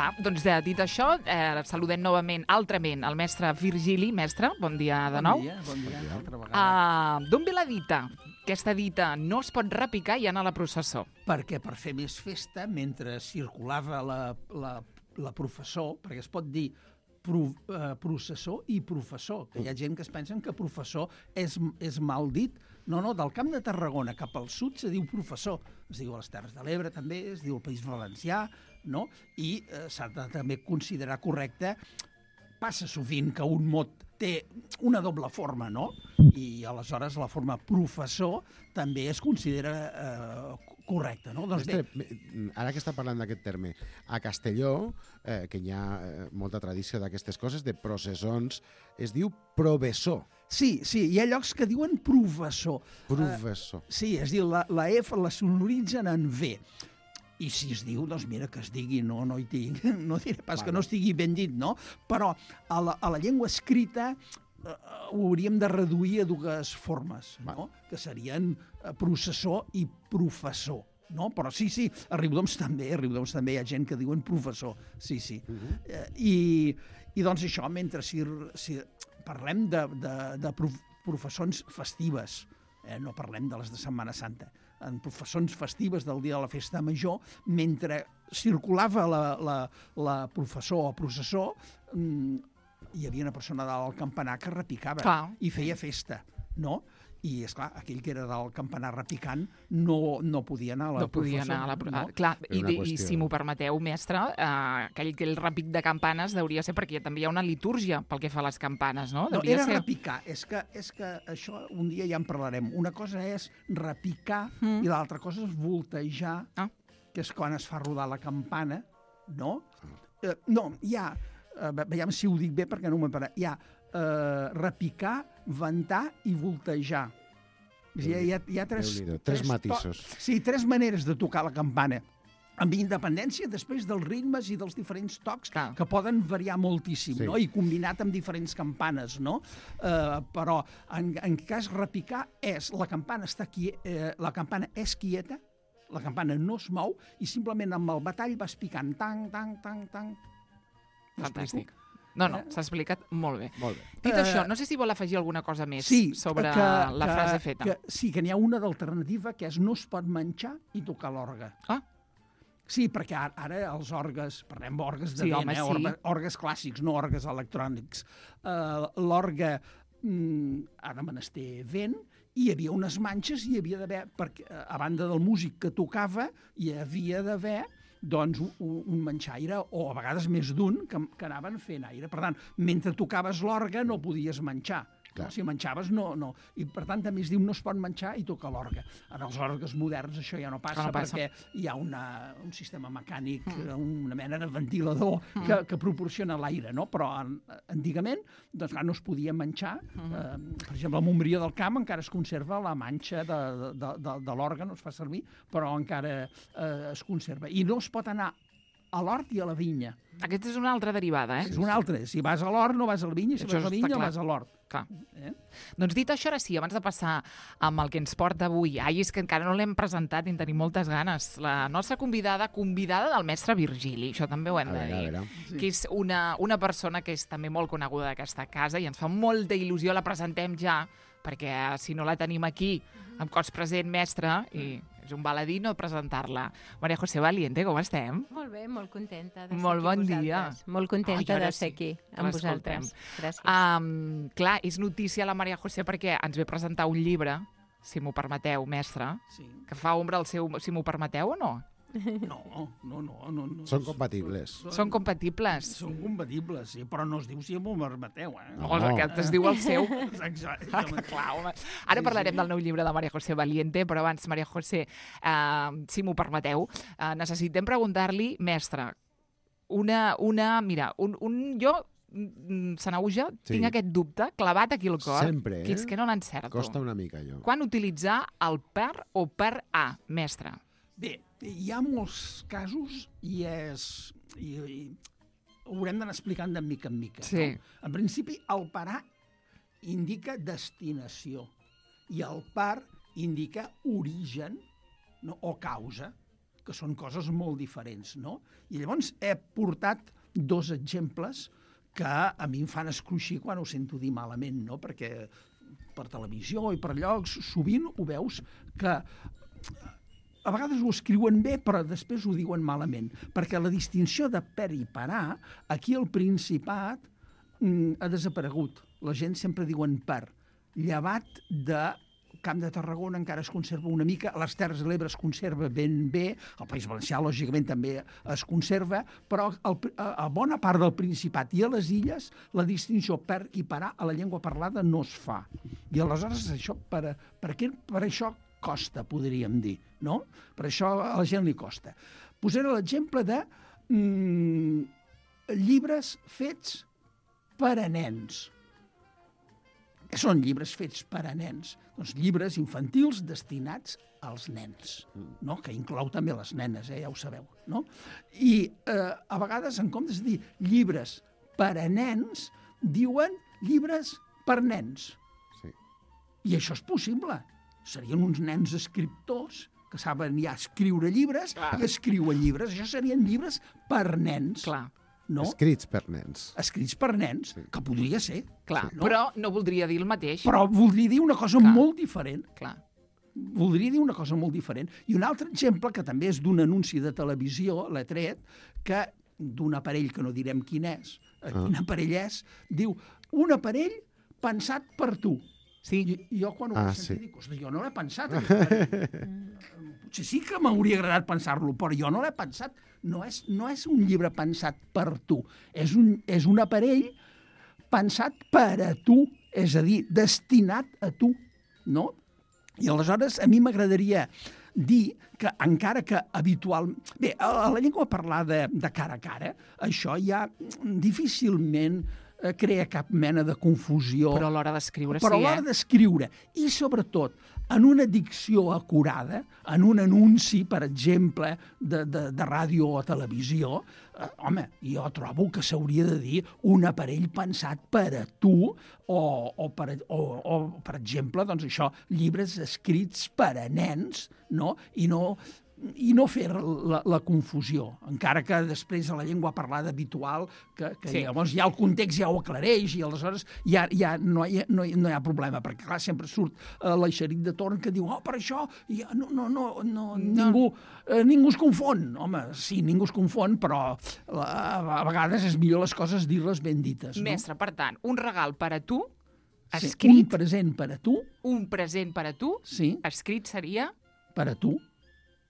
Clar, doncs dit això, saludem novament, altrament, el mestre Virgili. Mestre, bon dia de nou. Bon dia, altra vegada. D'on ve la dita? Aquesta dita no es pot repicar i anar a la processó. Perquè per fer més festa, mentre circulava la professor, perquè es pot dir processó i professor, que hi ha gent que es pensen que professor és mal dit. No, del Camp de Tarragona cap al sud se diu professor. Es diu a les Terres de l'Ebre també, es diu al País Valencià, no? I s'ha de també considerar correcte. Passa sovint que un mot té una doble forma, no? I aleshores la forma professor també es considera correcte, no? Doncs bé. Ara que està parlant d'aquest terme, a Castelló, que hi ha molta tradició d'aquestes coses, de processons, es diu provessor. Sí, hi ha llocs que diuen professor. Professor. Sí, es diu, la F la sonoritzen en V. I si es diu, doncs mira, que es digui, no hi tinc, no diré pas que no estigui ben dit, no? Però a la llengua escrita ho hauríem de reduir a dues formes, no? Que serien processor i professor, no? Però sí, a Riudoms també hi ha gent que diuen professor, sí. I doncs això, mentre si parlem de professons festives, no parlem de les de Setmana Santa, en professons festives del dia de la festa major, mentre circulava la professor o processó, hi havia una persona dalt al campanar que repicava i feia festa, no? I, esclar, aquell que era del campanar repicant no podia anar a la professor. Clar, i si m'ho permeteu, mestre, aquell repic de campanes deuria ser perquè també hi ha una litúrgia pel que fa a les campanes, no? No, era repicar. És que això un dia ja en parlarem. Una cosa és repicar i l'altra cosa és voltejar, que és quan es fa rodar la campana, no? No, hi ha... Veiem si ho dic bé perquè no m'ho he parat. Hi ha repicar, ventar i voltejar. Hi ha tres matisos. Sí, tres maneres de tocar la campana, amb independència després dels ritmes i dels diferents tocs que poden variar moltíssim, no? I combinat amb diferents campanes, no? Però en cas repicar la campana és quieta, la campana no es mou i simplement amb el batall vas picant tang, tang, tang, tang. Fantàstic. No, s'ha explicat molt bé. Dit això, no sé si vol afegir alguna cosa més sobre la frase feta. Sí, que n'hi ha una d'alternativa, que és no es pot menjar i tocar l'orgue. Sí, perquè ara els orgues, parlem d'orgues de vent, orgues clàssics, no orgues electrònics. L'orgue ha de menester vent, i hi havia unes manxes, i hi havia d'haver, a banda del músic que tocava, hi havia d'haver doncs un manxaire, o a vegades més d'un, que anaven fent aire. Per tant, mentre tocaves l'orgue no podies menjar. Si menjaves, no. I per tant també es diu no es pot menjar i tocar l'orgue. En els orgues moderns això ja no passa, perquè hi ha un sistema mecànic, una mena de ventilador que proporciona l'aire, no? Però antigament doncs, no es podia menjar. Per exemple, a Montbrió del Camp encara es conserva la manxa de l'orgue, no es fa servir, però encara es conserva. I no es pot anar a l'hort i a la vinya. Aquesta és una altra derivada, És una altra. Si vas a l'hort, no vas a la vinya, si vas a la vinya, vas a l'hort. Doncs dit això, ara sí, abans de passar amb el que ens porta avui, és que encara no l'hem presentat i en tenim moltes ganes, la nostra convidada del mestre Virgili, això també ho hem de dir, que és una persona que és també molt coneguda d'aquesta casa i ens fa molta il·lusió, la presentem ja, perquè si no la tenim aquí, amb cos present, mestre, i és un baladí no presentar-la. Maria José Valiente, com estem? Molt bé, molt contenta de ser molt bon aquí dia. Molt contenta de ser aquí amb vosaltres. Gràcies. Clar, és notícia la Maria José perquè ens ve presentar un llibre, si m'ho permeteu, mestre, que fa ombra al seu... Si m'ho permeteu o no? No. Són compatibles. Són compatibles? Són compatibles, sí, però no es diu si m'ho permeteu, No, aquest es diu el seu. Exacte. Ara parlarem del nou llibre de Maria José Valiente, però abans, Maria José, si m'ho permeteu, necessitem preguntar-li, mestre, jo, Sanauja, tinc aquest dubte clavat aquí al cor, sempre, que és que no l'encerto. Costa una mica, allò. Quan utilitzar el per o per a, mestre? Bé, hi ha molts casos i ho haurem d'anar explicant de mica en mica. Sí. No? En principi, el parar indica destinació i el par indica origen, no? O causa, que són coses molt diferents, no? I llavors he portat 2 exemples que a mi em fan escruixir quan ho sento dir malament, no? Perquè per televisió i per llocs sovint ho veus que a vegades ho escriuen bé però després ho diuen malament, perquè la distinció de per i parar aquí al Principat ha desaparegut. La gent sempre diuen per, llevat de Camp de Tarragona encara es conserva una mica, a les Terres de l'Ebre es conserva ben bé, al País Valencià, lògicament, també es conserva, però a bona part del Principat i a les illes la distinció per i parar a la llengua parlada no es fa. I aleshores això, per això costa, podríem dir, no? Per això a la gent li costa. Posaré l'exemple de llibres fets per a nens. Què són llibres fets per a nens? Doncs llibres infantils destinats als nens, no? Que inclou també les nenes, ja ho sabeu. No? I a vegades, en comptes de dir llibres per a nens, diuen llibres per nens. Sí. I això és possible. Serien uns nens escriptors que saben ja escriure llibres i escriuen llibres. Això serien llibres per nens. Clar. No? Escrits per nens. Escrits per nens, sí. Que podria ser. Clar, sí. No? Però no voldria dir el mateix. Però voldria dir una cosa molt diferent. Clar. Voldria dir una cosa molt diferent. I un altre exemple, que també és d'un anunci de televisió, l'he tret, que d'un aparell que no direm quin és, quin aparell és, diu, un aparell pensat per tu. Sí. I jo quan ho vaig sentir dic, ostres, jo no l'he pensat. Potser sí que m'hauria agradat pensar-lo, però jo no l'he pensat. No és un llibre pensat per tu. És un aparell pensat per a tu, és a dir, destinat a tu, no? I aleshores a mi m'agradaria dir que encara que habitualment... Bé, a la llengua parlada de cara a cara, això ja difícilment crea cap mena de confusió. Però a l'hora d'escriure Però a l'hora d'escriure, i sobretot en una dicció acurada, en un anunci, per exemple, de ràdio o televisió, home, jo trobo que s'hauria de dir un aparell pensat per a tu o per exemple, doncs això, llibres escrits per a nens, no? I no fer la confusió, encara que després a la llengua parlada habitual, que sí. Llavors ja el context ja ho aclareix i aleshores ja no hi ha problema, perquè clar, sempre surt l'Eixerit de Torn que diu, per això ja, ningú es confon. Home, sí, ningú es confon, però a vegades és millor les coses dir-les ben dites. Mestre, per tant, un regal per a tu, escrit... Sí, un present per a tu. Un present per a tu, sí. Escrit seria... Per a tu.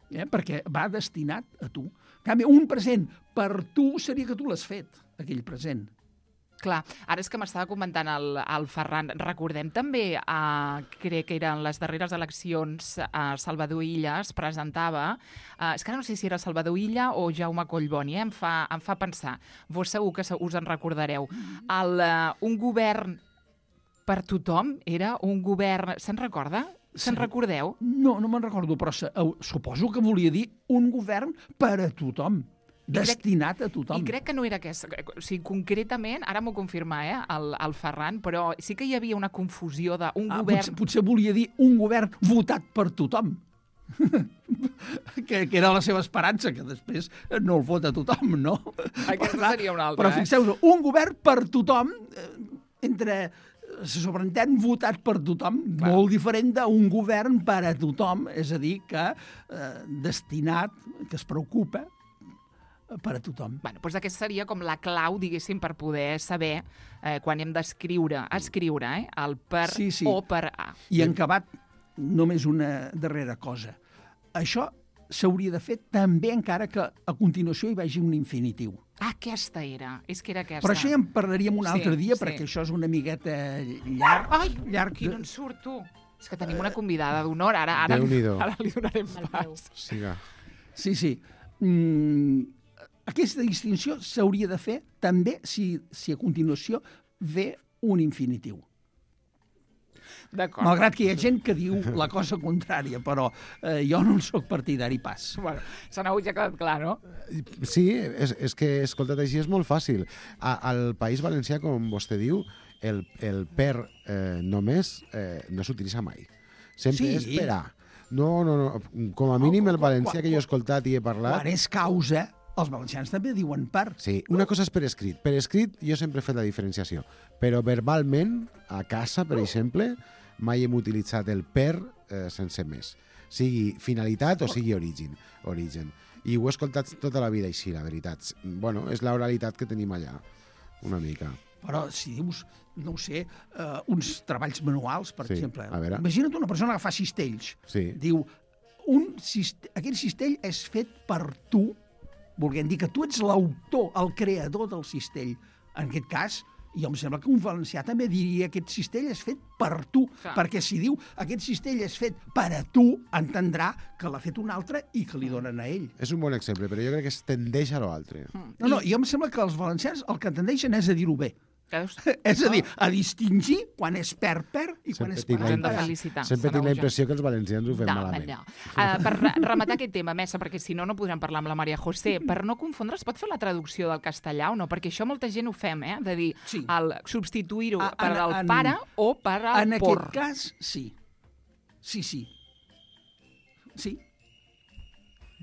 Perquè va destinat a tu. En canvi, un present per tu seria que tu l'has fet, aquell present. Clar, ara és que m'estava comentant el Ferran. Recordem també, crec que eren les darreres eleccions, Salvador Illa es presentava, és que ara no sé si era Salvador Illa o Jaume Collboni, em fa pensar, vos segur que us en recordareu, un govern per tothom era un govern, se'n recorda? Se'n recordeu? No me'n recordo, però suposo que volia dir un govern per a tothom, destinat a tothom. I crec que no era aquest. O sigui, concretament, ara m'ho confirma el Ferran, però sí que hi havia una confusió d'un govern... Potser volia dir un govern votat per tothom. que era la seva esperança, que després no el vota tothom, no? Aquesta seria una altra. Però fixeu-vos, un govern per tothom, se sobreentén votat per tothom, clar. Molt diferent d'un govern per a tothom, és a dir, que destinat, que es preocupa per a tothom. Bueno, doncs aquesta seria com la clau, diguéssim, per poder saber quan hem d'escriure, el per o per a. I en acabat, només una darrera cosa. Això s'hauria de fer també encara que a continuació hi vagi un infinitiu. Aquesta era, és que era aquesta. Però això ja en parlaríem un altre dia, perquè això és una miqueta llarg. Ai, aquí no en surt, tu. És que tenim una convidada d'honor, ara li donarem pas. Sí. Aquesta distinció s'hauria de fer també si a continuació ve un infinitiu. Malgrat que hi ha gent que diu la cosa contrària, però jo no en soc partidari pas. Bueno, s'ha ja quedat clar, no? Sí, és que, escolta't, així és molt fàcil. Al País Valencià, com vostè diu, el per només no s'utilitza mai. Sempre és per a. No. Com a mínim el valencià que jo he escoltat i he parlat... Quan és causa, els valencians també diuen per. Sí, una cosa és per escrit. Per escrit jo sempre he fet la diferenciació, però verbalment, a casa, per exemple, mai hem utilitzat el per sense més. Sigui finalitat o sigui origen. I ho he escoltat tota la vida així, la veritat. Bueno, és l'oralitat que tenim allà, una mica. Però si dius, no ho sé, uns treballs manuals, per exemple. Imagina't una persona que fa cistells. Sí. Diu, aquest cistell és fet per tu, volent dir que tu ets l'autor, el creador del cistell. En aquest cas, jo em sembla que un valencià també diria que aquest cistell és fet per tu, perquè si diu aquest cistell és fet per a tu, entendrà que l'ha fet un altre i que li donen a ell. És un bon exemple, però jo crec que es tendeix a l'altre. No, jo em sembla que els valencians el que tendeixen és a dir-ho bé. És a dir, a distingir quan és per i quan és per. Hem de felicitar. Sempre tinc la impressió que els valencians ho fem malament. Per rematar aquest tema, Messa, perquè si no, no podrem parlar amb la Maria José, per no confondre, es pot fer la traducció del castellà o no? Perquè això molta gent ho fem, de dir, substituir-ho per al pare o per al por. En aquest cas, sí. Sí.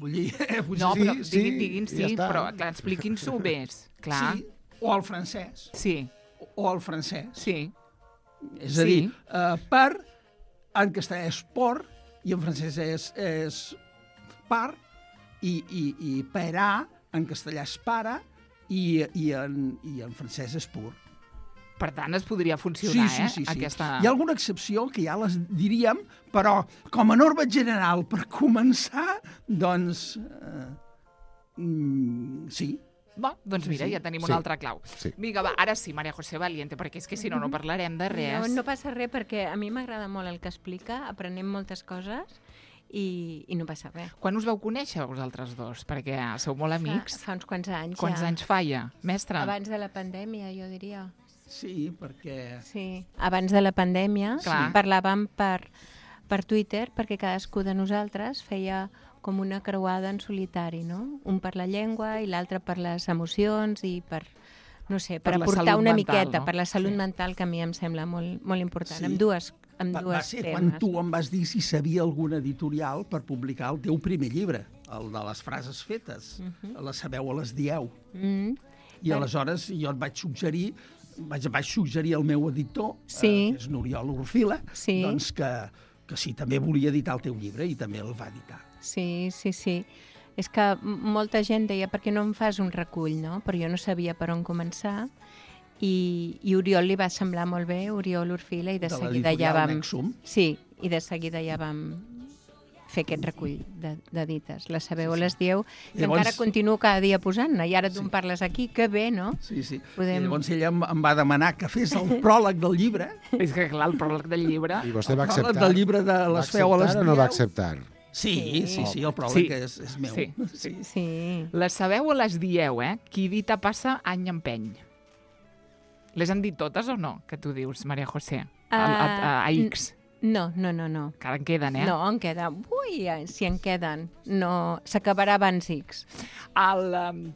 Vull dir... No, però diguin sí, però expliquin-s'ho bé. Sí, o el francès. Sí. O el francès. Sí. És a dir, per, en castellà és por, i en francès és par, i perà, en castellà és pare, i en francès és pur. Per tant, es podria funcionar, sí. Aquesta... Hi ha alguna excepció que ja les diríem, però com a norma general, per començar, doncs, sí. Doncs mira, ja tenim una altra clau. Vinga, va, ara sí, Maria José Valiente, perquè és que si no, no parlarem de res. No passa res, perquè a mi m'agrada molt el que explica, aprenem moltes coses i no passa res. Quan us vau conèixer vosaltres dos? Perquè sou molt amics. Fa uns quants anys, Quants anys fa ja, mestre? Abans de la pandèmia, jo diria. Sí, perquè... Sí, abans de la pandèmia parlàvem per Twitter, perquè cadascú de nosaltres feia com una creuada en solitari, no? Un per la llengua i l'altre per les emocions i per, no sé, per aportar una miqueta, per la salut mental, que a mi em sembla molt important, amb dues Va ser quan tu em vas dir si sabia algun editorial per publicar el teu primer llibre, el de les frases fetes, les sabeu o les dieu. I aleshores jo et vaig suggerir al meu editor, que és n'Oriol Orfila, doncs que sí, també volia editar el teu llibre i també el va editar. Sí. És que molta gent deia, per què no em fas un recull, no? Però jo no sabia per on començar i Oriol li va semblar molt bé, Oriol Orfila, i de seguida ja vam... Sí, i de seguida ja vam fer aquest recull de dites. Les sabeu o les dieu, que encara continuo cada dia posant-ne, i ara tu em parles aquí, que bé, no? Sí. I llavors ella em va demanar que fes el pròleg del llibre. És que clar, el pròleg del llibre... I vostè va acceptar? El pròleg del llibre de les feu o les dieu. O no va acceptar? Sí, el pròleg és meu. Sí. Les sabeu o les dieu, Qui dita passa, any empeny. Les han dit totes o no, que tu dius, Maria José? A X. No. Encara en queden, No, en queden. Ui, si en queden. No, s'acabarà abans X.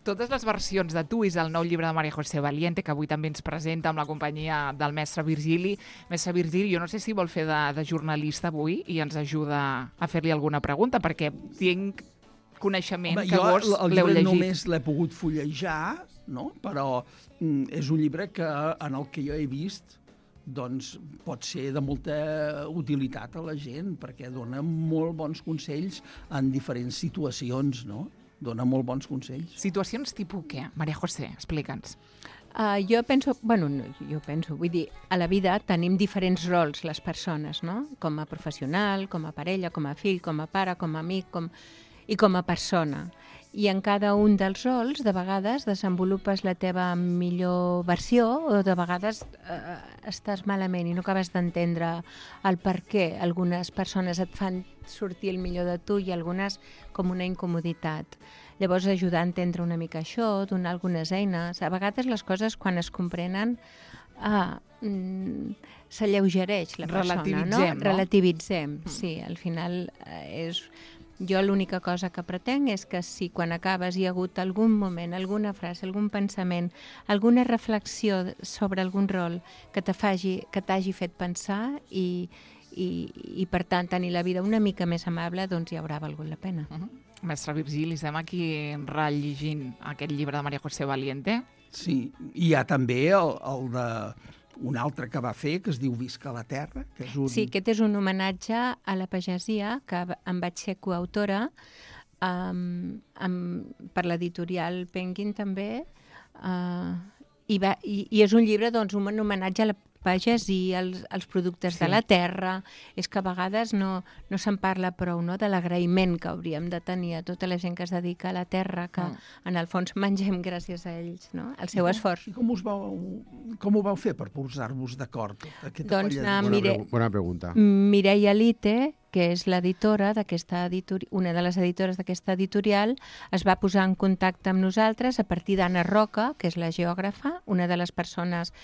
Totes les versions de Tu és el nou llibre de Maria José Valiente, que avui també ens presenta amb la companyia del mestre Virgili. Mestre Virgili, jo no sé si vol fer de jornalista avui i ens ajuda a fer-li alguna pregunta, perquè tinc coneixement que vos l'heu llegit. El llibre només l'he pogut fullejar, no? Però és un llibre en el que jo he vist doncs pot ser de molta utilitat a la gent, perquè dona molt bons consells en diferents situacions, no? Dona molt bons consells. Situacions tipus què? Maria José, explica'ns. Jo penso, vull dir, a la vida tenim diferents rols les persones, no? Com a professional, com a parella, com a fill, com a pare, com a amic i com a persona. I en cada un dels rols, de vegades, desenvolupes la teva millor versió o de vegades estàs malament i no acabes d'entendre el per què. Algunes persones et fan sortir el millor de tu i algunes com una incomoditat. Llavors, ajudar a entendre una mica això, donar algunes eines. A vegades les coses, quan es comprenen, s'alleugereix la persona, no? Relativitzem, sí. Al final és... Jo l'única cosa que pretenc és que si quan acabes hi ha hagut algun moment, alguna frase, algun pensament, alguna reflexió sobre algun rol que t'hagi fet pensar i i per tant tenir la vida una mica més amable doncs hi haurà valgut la pena. Mestre Virgili, estem aquí rellegint aquest llibre de María José Valiente. Sí, hi ha també el de un altre que va fer, que es diu Visca la Terra, que és un... Sí, aquest és un homenatge a la pagesia, que em vaig ser coautora per l'editorial Penguin també, i és un llibre, doncs, un homenatge a la pagesia, als productes de la terra. És que a vegades no se'n parla prou, no?, de l'agraïment que hauríem de tenir a tota la gent que es dedica a la terra, que en el fons mengem gràcies a ells, no?, el seu esforç. I com ho vau fer per posar-vos d'acord? Doncs bona pregunta. Mireia Lite, que és l'editora d'aquesta editorial, una de les editores d'aquesta editorial, es va posar en contacte amb nosaltres a partir d'Anna Roca, que és la geògrafa, una de les persones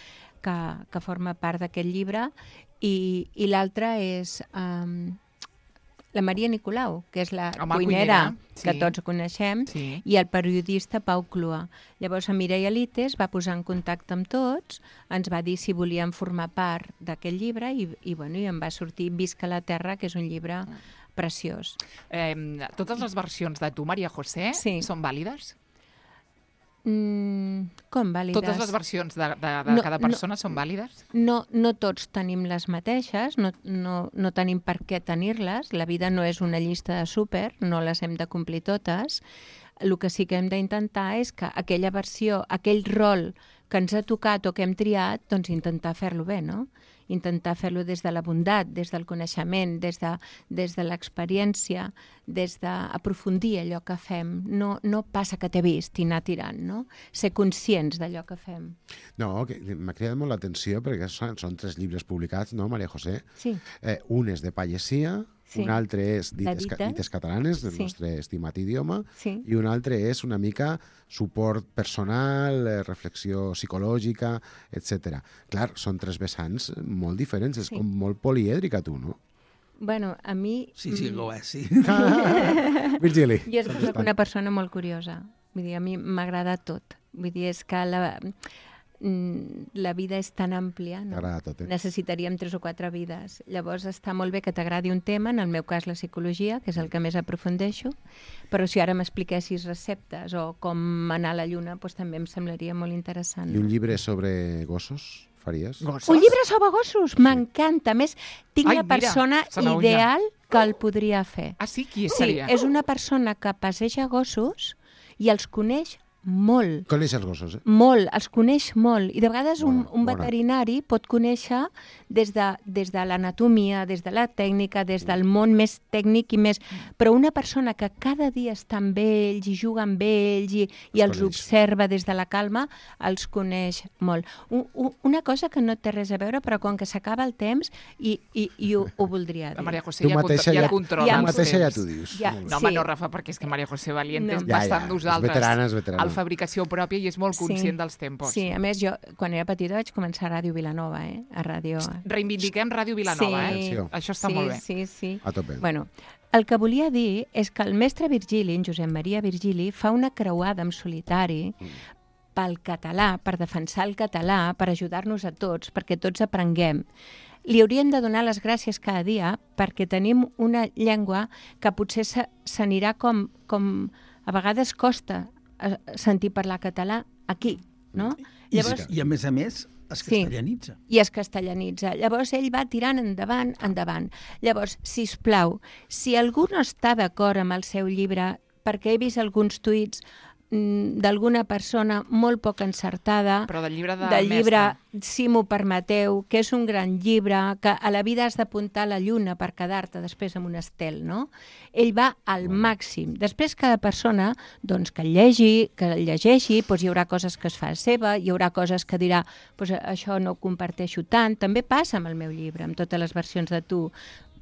que forma part d'aquest llibre, i l'altra és la Maria Nicolau, que és la cuinera que tots coneixem, i el periodista Pau Clua. Llavors, a Mireia Lite es va posar en contacte amb tots, ens va dir si volíem formar part d'aquest llibre i em va sortir Visca la Terra, que és un llibre preciós. Totes les versions de tu, María José, són vàlides? Com vàlides? Totes les versions de cada persona són vàlides? No tots tenim les mateixes, no tenim per què tenir-les, la vida no és una llista de súper, no les hem de complir totes. El que sí que hem d'intentar és que aquella versió, aquell rol que ens ha tocat o que hem triat, doncs intentar fer-lo bé, no? Intentar fer-lo des de la bondat, des del coneixement, des de l'experiència, des d'aprofundir allò que fem. No passa que t'he vist i anar tirant, no? Ser conscients d'allò que fem. No, m'ha cridat molt l'atenció perquè són 3 llibres publicats, no, María José? Sí. Un és de pagesia, un altre és Dites catalanes, del nostre estimat idioma, i un altre és una mica suport personal, reflexió psicològica, etc. Clar, són 3 vessants molt diferents, és com molt polièdrica tu, no? Bueno, a mi... Sí, ho és, sí. Virgili. Jo soc una persona molt curiosa. Vull dir, a mi m'agrada tot. Vull dir, és que la vida és tan àmplia, no? Necessitaríem 3 o 4 vides. Llavors està molt bé que t'agradi un tema, en el meu cas la psicologia, que és el que més aprofundeixo, però si ara m'expliquessis receptes o com anar a la lluna, doncs també em semblaria molt interessant. I un llibre sobre gossos faries? Un llibre sobre gossos? M'encanta. A més, tinc la persona ideal que el podria fer. Ah, sí? Qui seria? Sí, és una persona que passeja gossos i els coneix molt. Coneix els gossos, Molt, els coneix molt. I de vegades un veterinari pot conèixer des de l'anatomia, des de la tècnica, des del món més tècnic i més... Però una persona que cada dia està amb ells i juga amb ells i els observa des de la calma, els coneix molt. Una cosa que no té res a veure, però com que s'acaba el temps i ho voldria dir. La María José ja controla els temps. Tu mateixa ja t'ho dius. No, home, no, Rafa, perquè és que María José Valiente va estar amb nosaltres. És veterana. Fabricació pròpia i és molt conscient dels tempos. Sí, a més, jo, quan era petita, vaig començar a Ràdio Vilanova, a ràdio... Reivindiquem Ràdio Vilanova, Això està molt bé. Sí. A tope. Bueno, el que volia dir és que el mestre Virgili, en Josep Maria Virgili, fa una creuada en solitari pel català, per defensar el català, per ajudar-nos a tots, perquè tots aprenguem. Li hauríem de donar les gràcies cada dia perquè tenim una llengua que potser s'anirà com a vegades costa sentir parlar català aquí, no? Llavors, I a més es castellanitza. I es castellanitza. Llavors ell va tirant endavant. Llavors, sisplau, si algú no està d'acord amb el seu llibre, perquè he vist alguns tuits d'alguna persona molt poc encertada, però del llibre si m'ho permeteu, que és un gran llibre, que a la vida has d'apuntar la lluna per quedar-te després amb un estel, no? Ell va al màxim. Després cada persona, doncs, que el llegeixi, doncs hi haurà coses que es fa seva, hi haurà coses que dirà, doncs això no ho comparteixo tant. També passa amb el meu llibre, amb totes les versions de tu.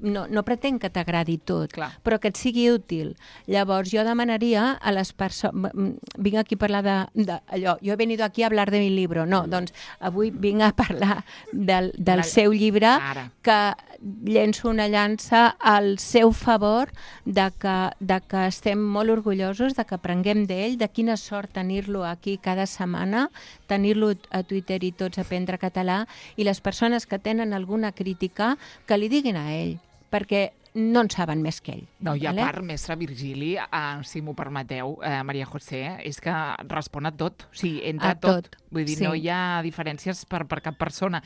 No pretenc que t'agradi tot, però que et sigui útil. Llavors, jo demanaria a les persones... Vinc aquí a parlar d'allò. Jo he venido aquí a hablar de mi libro. No, doncs avui vinc a parlar del seu llibre, que llenço una llança al seu favor de que estem molt orgullosos, de que aprenguem d'ell, de quina sort tenir-lo aquí cada setmana, tenir-lo a Twitter i tots aprendre català, i les persones que tenen alguna crítica que li diguin a ell, perquè no en saben més que ell. No, i a part, mestre Virgili, si m'ho permeteu, Maria José, és que respon a tot. O sigui, entra a tot. Vull dir, no hi ha diferències per cap persona.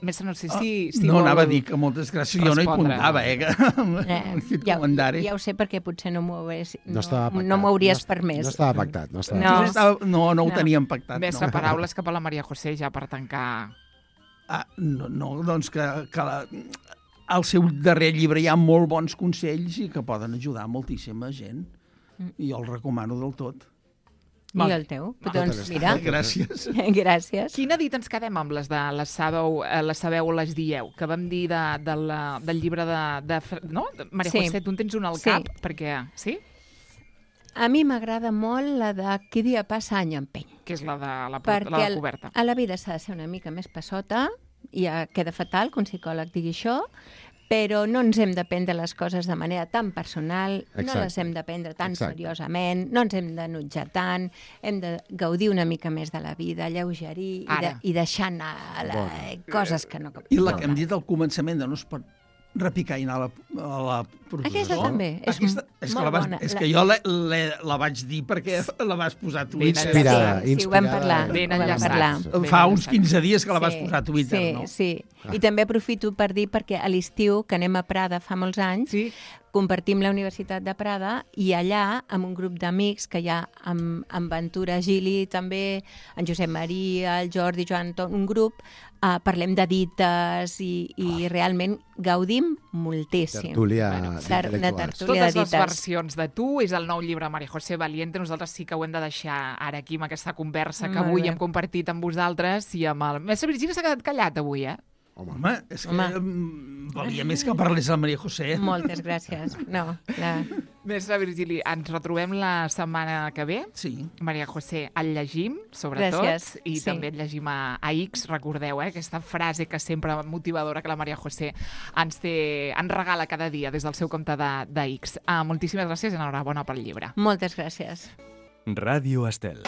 Mestre, no sé si no, anava a dir que moltes gràcies. Jo no hi apuntava, aquest comentari. Ja ho sé, perquè potser no m'ho hauries permès. No estava pactat. No ho teníem pactat. Mestre, paraules cap a la Maria José, ja per tancar. No, doncs que al seu darrer llibre hi ha molt bons consells i que poden ajudar moltíssima gent. I jo el recomano del tot. I el teu? Doncs mira. Gràcies. Gràcies. Quina dit ens quedem amb les de les sabeu o les dieu? Que vam dir del llibre de no? Maria José, tu en tens un al cap? Perquè, sí? A mi m'agrada molt la de Qui dia passa any empeny. Que és la de la coberta. Perquè a la vida s'ha de ser una mica més passota, i ja queda fatal que un psicòleg digui això, però no ens hem de prendre les coses de manera tan personal, no les hem de prendre tan seriosament, no ens hem d'enutjar tant, hem de gaudir una mica més de la vida, alleugerir i deixar anar coses que no... I la que hem dit al començament de no es pot repicar i anar a la professor. Aquesta també, és molt bona. És que jo la vaig dir perquè la vas posar a Twitter. Sí, ho vam parlar. Fa uns 15 dies que la vas posar a Twitter, no? Sí. I també aprofito per dir, perquè a l'estiu, que anem a Prada fa molts anys, compartim la Universitat de Prada i allà, amb un grup d'amics que hi ha amb Ventura Gili, també, en Josep Maria, el Jordi, Joan, un grup, parlem de dites i realment gaudim moltíssim. Tertúlia intel·lectuals. Totes les versions de tu, és el nou llibre Maria José Valiente, nosaltres sí que ho hem de deixar ara aquí amb aquesta conversa que avui hem compartit amb vosaltres i amb el... Mestre Virgili s'ha quedat callat avui, Home, és que valia més que parlés el Maria José. Moltes gràcies. Mestre Virgili, ens retrobem la setmana que ve. Sí. Maria José, el llegim, sobretot, i també el llegim a X. Recordeu, aquesta frase que sempre motivadora que la Maria José ens regala cada dia des del seu compte de X. Moltíssimes gràcies i enhorabona pel llibre. Moltes gràcies. Ràdio Estel.